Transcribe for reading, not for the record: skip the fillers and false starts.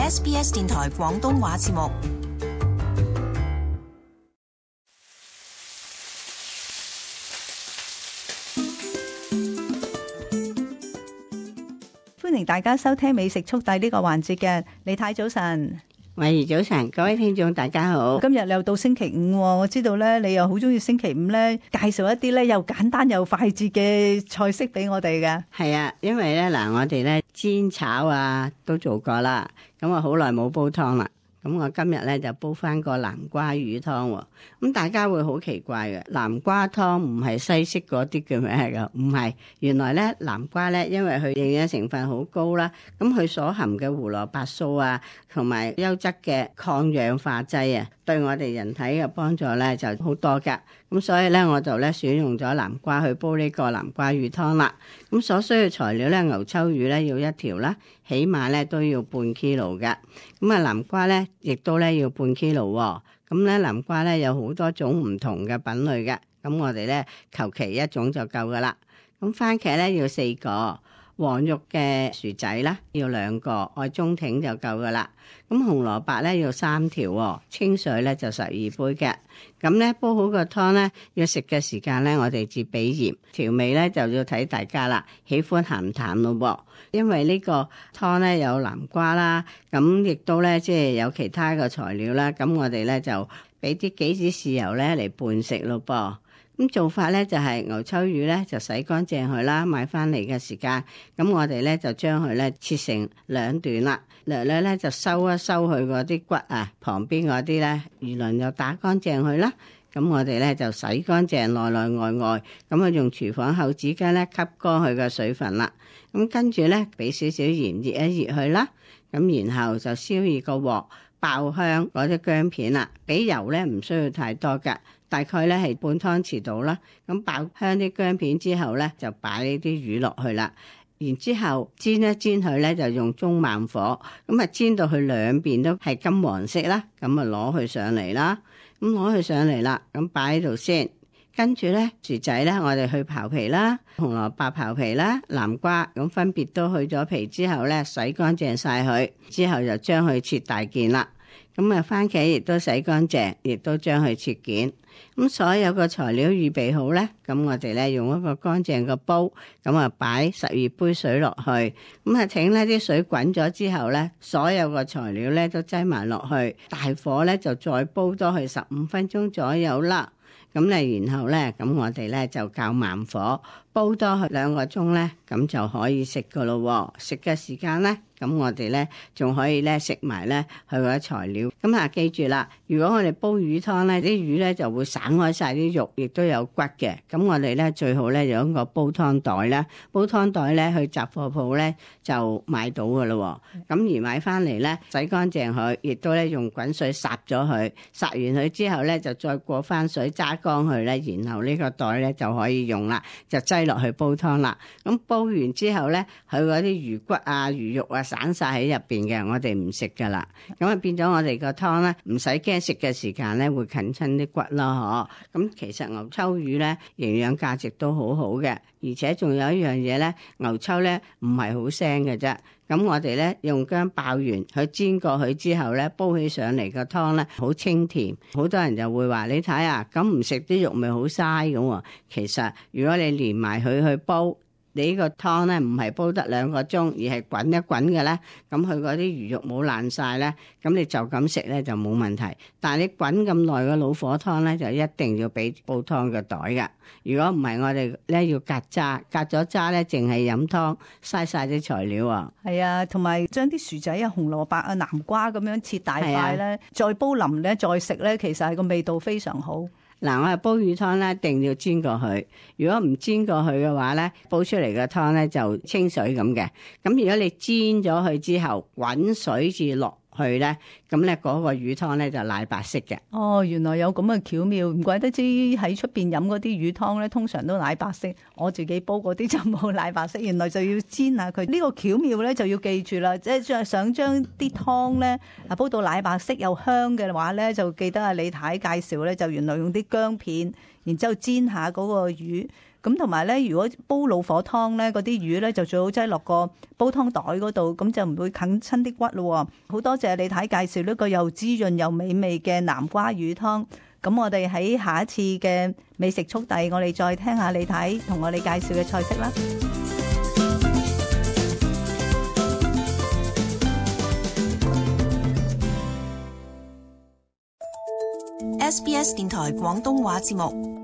SBS 電台廣東話節目。歡迎大家收聽美食速遞呢個環節嘅，李太早晨。慧怡早晨，各位聽眾大家好。今日又到星期五，我知道咧你又好中意星期五咧介紹一啲咧又簡單又快捷嘅菜式俾我哋嘅。係啊，因為咧嗱，我哋咧煎炒啊都做過啦，咁我好耐冇煲湯啦。咁我今日咧就煲翻個南瓜魚湯喎。咁大家會好奇怪嘅，南瓜湯唔係西式嗰啲叫咩㗎？唔係，原來咧南瓜咧，因為佢營養成分好高啦，咁佢所含嘅胡蘿蔔素啊，同埋優質嘅抗氧化劑啊，對我哋人體嘅幫助咧就好多㗎。咁所以咧我就咧選用咗南瓜去煲呢個南瓜魚湯啦。咁所需嘅材料咧，牛秋魚咧要1條啦，起碼咧都要半 kilo 㗎。咁啊南瓜咧亦都咧要半 kilo 喎。咁咧南瓜咧有好多種唔同嘅品類嘅，咁我哋咧求其一種就夠噶啦。咁番茄咧要4個，黃肉嘅薯仔啦要2個，愛中挺就夠噶啦。咁紅蘿蔔咧要3條，清水咧就12杯嘅。咁咧煲好個湯咧，要食嘅時間咧，我哋至俾鹽，調味咧就要睇大家啦，喜歡鹹淡咯噃。因為呢個湯咧有南瓜啦，咁亦都咧即係有其他嘅材料啦，咁我哋咧就俾啲杞子豉油咧嚟拌食咯噃。咁做法咧就係牛秋魚咧就洗乾淨佢啦，買翻嚟嘅時間，咁我哋咧就將佢咧切成2段啦，略略咧就收一收佢嗰啲骨啊，旁邊嗰啲咧魚鱗又打乾淨佢啦。咁我哋咧就洗乾淨內內外外，咁啊用廚房厚紙巾咧吸乾佢嘅水分啦。咁跟住咧俾少少鹽熱一熱佢啦，咁然後就燒熱個鑊，爆香嗰啲薑片啦，俾油咧唔需要太多㗎，大概咧係半湯匙到啦。咁爆香啲薑片之後咧，就擺呢啲魚落去啦。然之後煎一煎佢咧，就用中慢火，咁啊煎到佢兩邊都係金黃色啦，咁啊攞佢上嚟啦。咁攞佢上嚟啦，咁擺喺度先。跟住咧薯仔咧，我哋去刨皮啦，紅蘿蔔刨皮啦，南瓜咁分別都去咗皮之後咧，洗乾淨晒佢，之後就將佢切大件啦。咁啊番茄亦都洗乾淨，亦都將佢切件。咁所有個材料預備好咧，咁我哋咧用一個乾淨嘅煲，咁啊擺12杯水落去，咁啊請呢啲水滾咗之後咧，所有個材料咧都擠埋落去，大火咧就再煲多去15分鐘左右啦。咁咧然後咧，咁我哋咧就較慢火煲多去2個鐘咧，咁就可以食噶咯。食嘅時間咧，咁我哋咧仲可以咧食埋咧佢嗰啲材料。咁啊記住啦，如果我哋煲魚湯咧，啲魚咧就會散開晒啲肉，亦都有骨嘅。咁我哋咧最好咧用一個煲湯袋啦，煲湯袋咧去雜貨鋪咧就買到噶咯。咁而買翻嚟咧洗乾淨佢，亦都咧用滾水烚咗佢，烚完佢之後咧就再過翻水揸乾佢咧，然後呢個袋咧就可以用啦，就擠落去煲湯啦。咁煲完之後咧，佢嗰啲魚骨啊、魚肉啊散晒喺入邊嘅，我哋唔食噶啦。咁啊變咗我哋個湯咧，唔使驚食嘅時間咧會近親啲骨咯，嗬。咁其實牛秋魚咧營養價值都好好嘅，而且仲有一樣嘢咧，牛秋咧唔係好腥嘅啫。咁我哋咧用薑爆完佢煎過去之後咧，煲起上嚟個湯咧好清甜。好多人就會話你睇啊，咁唔食啲肉咪好嘥咁喎。其實如果你連埋佢去煲，你呢個湯咧唔係煲得2個鐘，而係滾一滾嘅咧，咁佢嗰啲魚肉冇爛晒咧，咁你就咁食咧就冇問題。但係你滾咁耐嘅老火湯咧，就一定要俾煲湯嘅袋㗎。如果唔係，我哋咧要隔渣，隔咗渣咧，淨係飲湯，嘥晒啲材料啊。係啊，同埋將啲薯仔啊、紅蘿蔔啊、南瓜咁樣切大塊咧，再煲腍咧，再食咧，其實係個味道非常好。嗱，我係煲魚湯咧，一定要煎過去。如果唔煎過去嘅話咧，煲出嚟嘅湯咧就清水咁嘅。咁如果你煎咗佢之後，滾水至落去咧，咁咧嗰個魚湯咧就奶白色嘅。哦，原來有咁嘅巧妙，唔怪得知喺出邊飲嗰啲魚湯咧，通常都奶白色。我自己煲嗰啲就冇奶白色，原來就要煎下佢。呢個巧妙咧就要記住啦，即係想將啲湯咧啊煲到奶白色又香嘅話咧，就記得阿李太介紹咧，就原來用啲薑片，然之後煎下嗰個魚。咁同埋咧，如果煲老火湯咧，嗰啲魚咧就最好擠落個煲湯袋嗰度，咁就唔會啃親啲骨咯。好多謝李太介紹呢個又滋潤又美味嘅南瓜魚湯。咁我哋喺下一次嘅美食速遞，我哋再聽下李太同我哋介紹嘅菜式啦。SBS 電台廣東話節目。